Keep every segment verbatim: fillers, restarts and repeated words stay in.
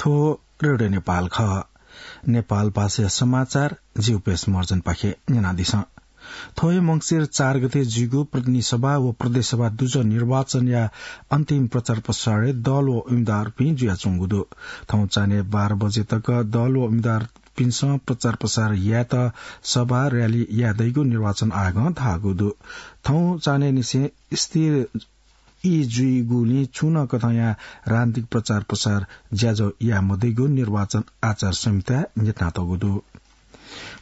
थ्व रेडियो नेपाल खः। नेपाल भाषाया समाचार जिउपेश महर्जनपाखें न्यनादिसँ। थ्व हे मंसिर चार गते जुइगु प्रतिनिधि सभा व प्रदेश सभा दुजः निर्वाचनया अन्तिम प्रचार प्रसारय् दल व उम्मेदवारपिं जुयाच्वंगु दु। थौं चान्हय् बाह्र बजे तक दल व उम्मेदवारपिन्सं प्रचार प्रसार यायेत सभा, र्‍याली याये दइगु निर्वाचन आयोगं धाःगु दु। थौं चान्हय् निसें स्थिर ई जुइगुलिं छुं नं कथंया राजनीतिक प्रचार प्रसार ज्याझ्वः याये मदइगु निर्वाचन आचार संहिताय् न्ह्यथनातःगु दु।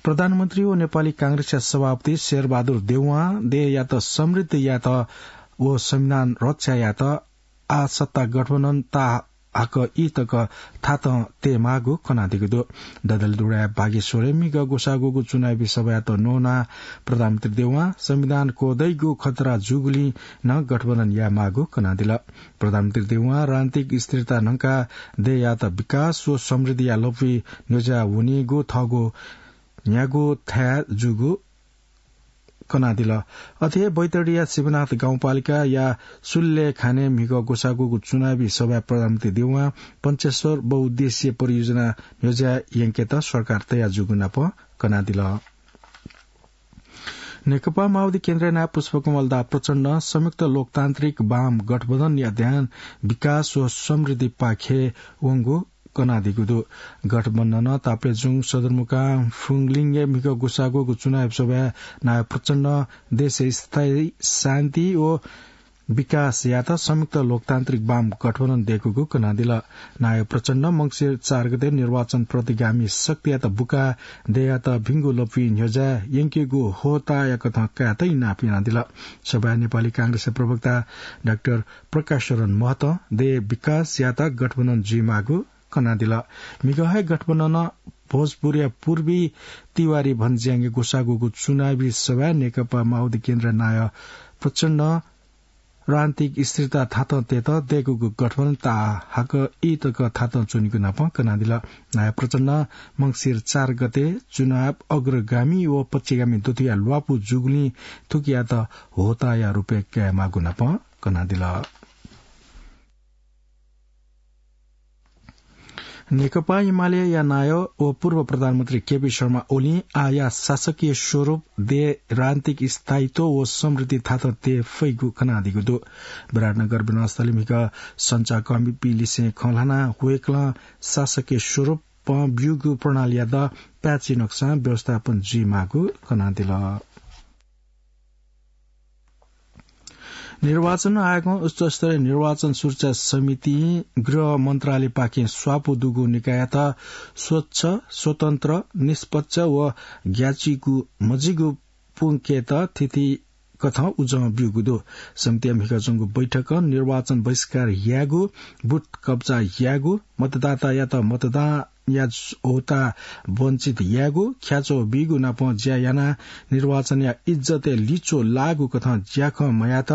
प्रधानमन्त्री व नेपाली कांग्रेसया सभापति शेरबहादुर देउवां देय्‌यात समृद्ध यायेत व संविधान रक्षा यायेत आः सत्ता गठबन्धन ताःहाकः ई तक थातं तयेमाःगु कनादीगु दु। डडेलधुराया बागेश्वरय् म्हिगः ग्वसाः ग्वःगु चुनावी सभायात न्वनाः प्रधानमन्त्री देउवां संविधान क्वदइगु खतरा जूगुलिं नं गठबन्धन यायेमाःगु कनादिल। प्रधानमन्त्री देउवां राजनीतिक स्थिरता न्हंकाः देय्‌यात विकास व समृद्धिया लँपुइ न्ह्यज्याः वनीगु थःगु न्ह्यागु थाय् जूगु कनादिल। अथे हे बैतडीया शिवनाथ गाउँपालिकाया सुल्लेखानय् म्हिगः ग्वसाः ग्वःगु चुनावी सभाय् प्रधानमन्त्री देउवां पञ्चेश्वर बहुउद्देश्यीय परियोजना न्ह्यज्याः यंकेत सरकार तयार जूगु नाप कनादिल। नेकपा माओवादी केन्द्रया नायः पुष्पकमल दाहाल प्रचण्डं संयुक्त लोकतान्त्रिक वाम गठबन्धनया ध्यान विकास व समृद्धिपाखे वंगु कनादीगु दु। गठबन्धनं ताप्लेजुङ, सदरमुकाम, फुङलिङय् म्हिगः ग्वसाः ग्वःगु चुनावी सभाय् नायः प्रचण्डं देशय् स्थायी शान्ति व विकास यायेत संयुक्त लोकतान्त्रिक वाम गठबन्धन दय्‌कूगु कनादिल। नायः प्रचण्डं मंसिर चार गते निर्वाचन प्रतिगामी शक्तियात बुकाः देय्‌यात भिंगु लँपुइ न्ह्यज्याः यंकेगु होताया कथं कायेत इनाप यानादिल। सभाय् नेपाली कांग्रेसया प्रवक्ता डाक्टर प्रकाश शरण महतं देय् विकास यायेत गठबन्धन जुइमाःगु कनादिल। म्हिगः हे गठबन्धनं भोजपुरया पूर्वी तिवारी भन्ज्याङय् ग्वसाः ग्वःगु चुनावी सभाय् नेकपा माओवादी केन्द्रया नायः प्रचण्डं राजनीतिक स्थिरता थातं तयेत दय्‌कूगु गठबन्धन ताःहाकः ई तक थातं च्वनीगु नाप कनादिल। नायः प्रचण्डं मंसिर चार गते चुनाव अग्रगामी व पक्षगामी दथुया ल्वापु जूगुलिं थुकियात होताया रूपय् कायेमाःगु नाप कनादिल। नेकपा एमालेया नायः व पूर्व प्रधानमन्त्री केपी शर्मा ओलीं आःया शासकीय स्वरूप देय् राजनीतिक स्थायित्व व समृद्धि थातं तये फइगु कनादीगु दु। विराटनगर विमानस्थलय् म्हिगः सञ्चारकर्मीपिं लिसें खँ ल्हानाः वय्‌कलं शासकीय स्वरूपं ब्यूगु प्रणालीयात पाय्‌छि नकसां व्यवस्थापन जुइमाःगु कनादिल। निर्वाचन आयोगं उच्चस्तरीय निर्वाचन सुरक्षा समितिं गृह मन्त्रालयपाखें स्वापू दुगु निकाययात स्वच्छ, स्वतन्त्र, निष्पक्ष व ग्याःचिकु मजिगु पुंकेत थीथी कथं उजं ब्यूगु दु। समितिया म्हिगः च्वंगु बैठकं निर्वाचन बहिष्कार यायेगु, बुथ कब्जा यायेगु, मतदातायात मतदान या होता वञ्चित यायेगु, ख्याच्वः बीगु नाप ज्या यानाः निर्वाचनया इज्जतय् लिच्वः लाःगु कथं ज्याखँ मयात,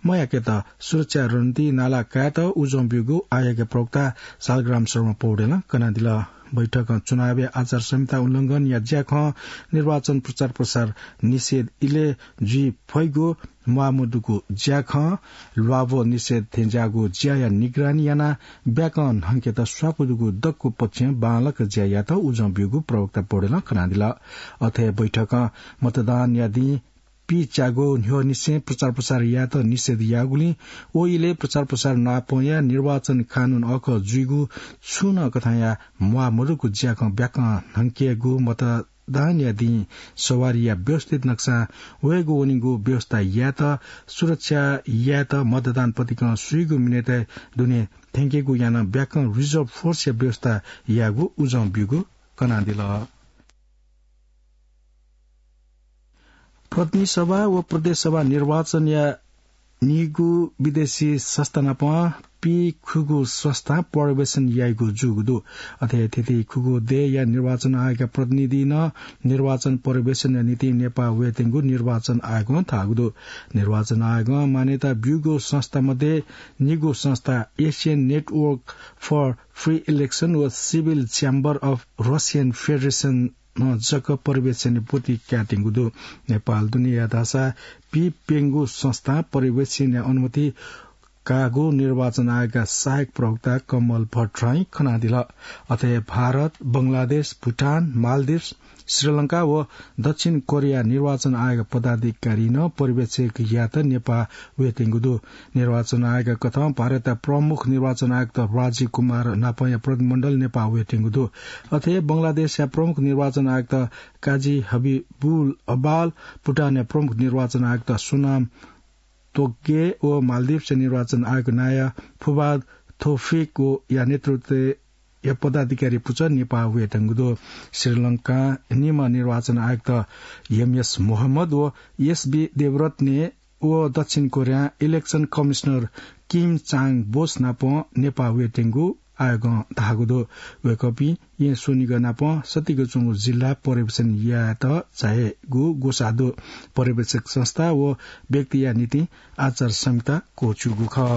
मयाकेत सुरक्षा रणनीति नाला कायेत उजं ब्यूगु आयोगया प्रवक्ता शालग्राम शर्मा पौडेलं कनादिल। बैठकं चुनावया आचार संहिता उल्लंघनया ज्याखँ, निर्वाचन प्रचार प्रसार निषेध इलय् जुइ फइगु म्वाःमदुगु ज्याखँ, ल्वाभः निषेध थेंज्याःगु ज्याया निगरानी यानाः ब्याकं न्हंकेत स्वापू दुगु दक्व पक्षं बांलाक ज्या यायेत उजं ब्यूगु प्रवक्ता पौडेलं कनादिल। अथे बैठकं मतदानया दिं पीच्यागु न्ह्यःनिसें प्रचार प्रसार यायेत निषेध याःगुलिं व इलय् प्रचार प्रसार नापंया निर्वाचन कानून अःखः जुइगु छुं नं कथंया म्वाःमदुगु ज्याखँ ब्याकं न्हंकेगु मत दानया दिं सवारीया व्यवस्थित नक्सां वयेगु वनीगु व्यवस्था यायेत, सुरक्षा यायेत, मतदान पतिकं सुइगु मिनेतय् दुने थ्यंकेगु यानाः ब्याकं reserve force या व्यवस्था यायेगु उजं ब्यूगु कनादिल। प्रतिनिधि सभा व प्रदेश सभा निर्वाचनया निगू विदेशी संस्था नाप पीखुगू संस्था पर्यवेक्षण याइगु जूगु दु। अथे थीथी खुगू देय्‌या निर्वाचन आयोगया प्रतिनिधि नं निर्वाचन पर्यवेक्षणया निंतिं नेपाः वयेत्यंगु निर्वाचन आयोगं धाःगु दु। निर्वाचन आयोगं मान्यता ब्यूगु संस्था मध्ये निगू संस्था Asian Network for Free Election व Civil Chamber of Russian Federation नं जक पर्यवेक्षणय् ब्वति कायेत्यंगु दु। नेपाल दुनेया धाःसा पीप्यंगू संस्थां पर्यवेक्षणया अनुमति कागु निर्वाचन आयोगका सहायक प्रवक्ता कमल भट्टराईं खनादिल। अथे भारत, बंगलादेश, भुटान, मालदिप्स, श्रीलंका व दक्षिण कोरिया निर्वाचन आयोग पदाधिकारी नं पर्यवेक्षक यात नेपाः वयेत्यंगु दु। निर्वाचन आयोग कथं भारतया प्रमुख निर्वाचन आयुक्त राजीव कुमार नापंया प्रतिनिधिमण्डल नेपाः वयेत्यंगु दु। अथे बंगलादेशया प्रमुख निर्वाचन आयुक्त काजी हबिबुल अबाल, भुटानया प्रमुख निर्वाचन आयुक्त सोनाम तोगे व मालदिप्सया निर्वाचन आयुक्त नाया फुबाद थोफिक व या नेतृत्वया पदाधिकारी पुचः नेपाः वयेत्यंगु दु। श्रीलंका निम्ह निर्वाचन आयुक्त एमएस मोहम्मद व एसबी देवरत्ने व दक्षिण कोरिया इलेक्सन कमिसनर किम चाङ बोस नाप नेपाः वयेत्यंगु आयोगं धाःगु दु। वय्कःपिं येँ स्वनिगः नाप सतिक च्वंगु जिल्ला पर्यवेक्षण यायेत झायेगु ग्वसाः दु। पर्यवेक्षक संस्था व व्यक्तिया निंतिं आचार संहिता क्वःछ्यूगु खः।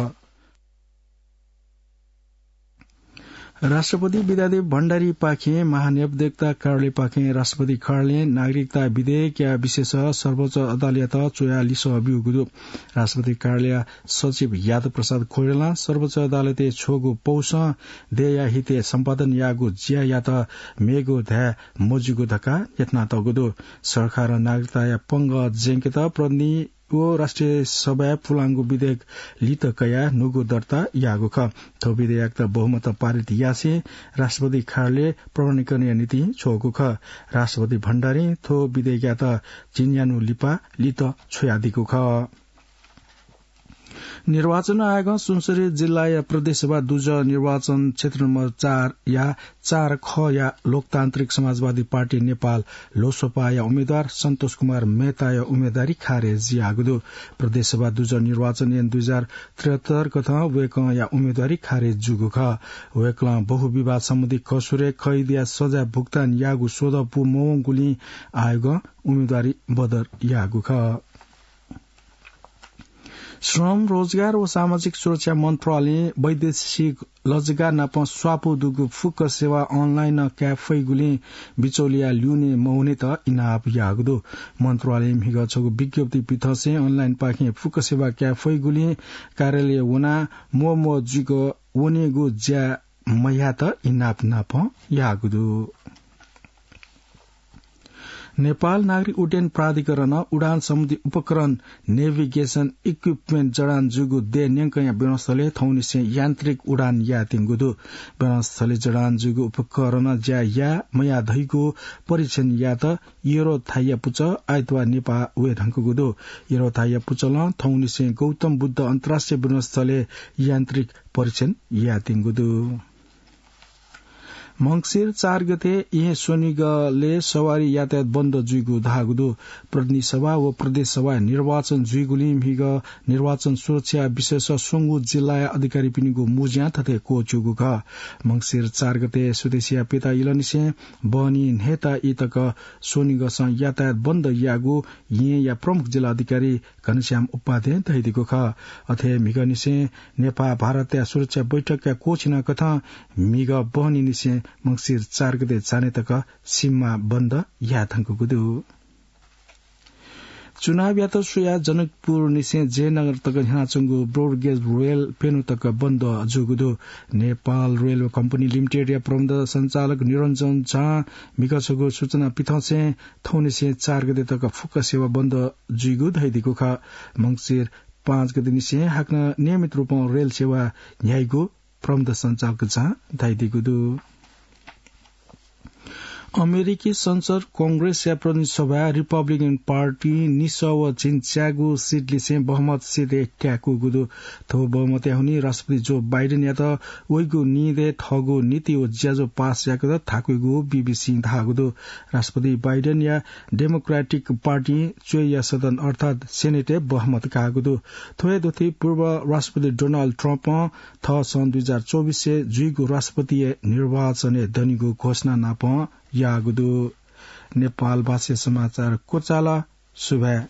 राष्ट्रपति विद्यादेवी भण्डारीपाखें महाधिवक्ता कार्यालयपाखें राष्ट्रपति कार्यालयं नागरिकता विधेयकया विषयसं सर्वोच्च अदालतयात च्वयाः लिसः ब्यूगु दु। राष्ट्रपति कार्यालयया सचिव यादव प्रसाद खड्गीं सर्वोच्च अदालतय् छ्वःगु पौसं देय्या हितय् सम्पादन याःगु ज्यायात मेगु धाये मज्यूगु धकाः न्ह्यथनातःगु दु। सरकारं नागरिकताया पंगः ज्यंकेत प्रतिनिधि व राष्ट्रिय सभाय् पुलांगु विधेयक लित कयाः न्हूगु दर्ता याःगु खः। थ्व विधेयकयात बहुमतं पारित यासें राष्ट्रपति कार्यालयं प्रमाणीकरणया निंतिं छ्वःगु खः। राष्ट्रपति भण्डारीं थ्व विधेयकयात झिंन्यान्हु लिपा लित छ्वयादीगु खः। निर्वाचन आयोगं सुनसरी जिल्लाया प्रदेशसभा दुजः निर्वाचन क्षेत्र नम्बर चार या चार ख या लोकतान्त्रिक समाजवादी पार्टी नेपाल, लोसपाया उम्मेद्वार सन्तोष कुमार मेहताया उम्मेद्वारी खारेज याःगु दु। प्रदेशसभा दुजः निर्वाचन ऐन दुई हजार त्रिहत्तर कथं वय्कःया उम्मेद्वारी खारेज जूगु खः। वय्कलं बहुविवाद सम्बन्धी कसुरय् कैदया सजाय भुक्तान याःगु स्वदँ पूमवंगुलिं आयोगं उम्मेद्वारी बदर याःगु खः। श्रम, रोजगार व सामाजिक सुरक्षा मन्त्रालयं वैदेशिक लजगाः नाप स्वापू दुगु फुक्क सेवा अनलाइनं काये फइगुलिं बिचौलिया ल्यूने मवनेत इनाप याःगु दु। मन्त्रालयं म्हिगः छगू विज्ञप्ति पिथंसें अनलाइनपाखें फुक्क सेवा काये फइगुलिं कार्यालय वनाः म्वःम्वः जुइक वनेगु ज्या मयायेत इनाप नाप याःगु दु। नेपाल नागरिक उड्डयन प्राधिकरणं उडान सम्बन्धी उपकरण, navigation equipment, जडान जूगु देय् न्यंकया विमानस्थलय् थौंनिसें यान्त्रिक उडान यायेत्यंगु दु। विमानस्थलय् जडान जूगु उपकरणं ज्या याये मयाये धइगु परीक्षण यायेत एरो थाइया पुचः आइतबार नेपाः वये धुंकूगु दु। एरो थाइया पुचलं थौंनिसें गौतम बुद्ध अन्तर्राष्ट्रिय विमानस्थलय् यान्त्रिक परीक्षण यायेत्यंगु दु। मंसिर चार गते येँ स्वनिगलय् सवारी यातायात बन्द जुइगु धाःगु दु। प्रतिनिधि सभा व प्रदेश सभा निर्वाचन जुइगुलिं म्हिगः निर्वाचन सुरक्षा विषयस स्वंगू जिल्लाया अधिकारीपिनिगु मुँज्यां थथे क्वःछ्यूगु खः। मंसिर चार गते सुदेसिया प्यता इलंनिसें बहनी न्हय्ता ई तक स्वनिगसं यातायात बन्द याःगु येँया प्रमुख जिल्ला अधिकारी घनश्याम उपाध्यें धयादीगु खः। अथे म्हिगःनिसें नेपाः भारतया सुरक्षा बैठकया क्वःछिना कथं म्हिगः बहनीनिसें मंसिर चार गते चान्हय् तक सीमा बन्द याये धुंकूगु दु। चुनावयात स्वयाः जनकपुरनिसें जयनगर तक न्ह्यानाच्वंगु ब्रोडगेज रेल प्यन्हु तक बन्द जूगु दु। नेपाल रेलवे कम्पनी लिमिटेडया प्रबन्ध सञ्चालक निरञ्जन झां म्हिगः छगू सूचना पिथंसें थौंनिसें चार गते तक फुक्क सेवा बन्द जुइगु धयादीगु खः। मंसिर पाँच गतेनिसें हाकनं नियमित रूपं रेल सेवा न्ह्याइगु प्रबन्ध सञ्चालक झां धयादीगु दु। अमेरिकी संसद कंग्रेसया प्रतिनिधि सभाय् रिपब्लिकन पार्टीं निसः व झिंच्यागू सिटलिसें बहुमत सितय् काय्कूगु दु। थ्व बहुमतया हुनिं राष्ट्रपति जो बाइडेनयात वइगु निदँय् थःगु नीति व ज्याझ्वः पास याकेत थाकुइगु बीबीसीं धाःगु दु। राष्ट्रपति बाइडेनया डेमोक्रेटिक पार्टीं च्वय्या सदन अर्थात् सेनेटय् बहुमत काःगु दु। थ्व हे दथुइ पूर्व राष्ट्रपति डोनाल्ड ट्रम्पं थः सन् दुई हजार चौबिसय् जुइगु राष्ट्रपतिया निर्वाचनय् दनिगु घोषणा नापं याःगु दु। नेपाल भाषाय् समाचार क्वचाल। सुभाय्।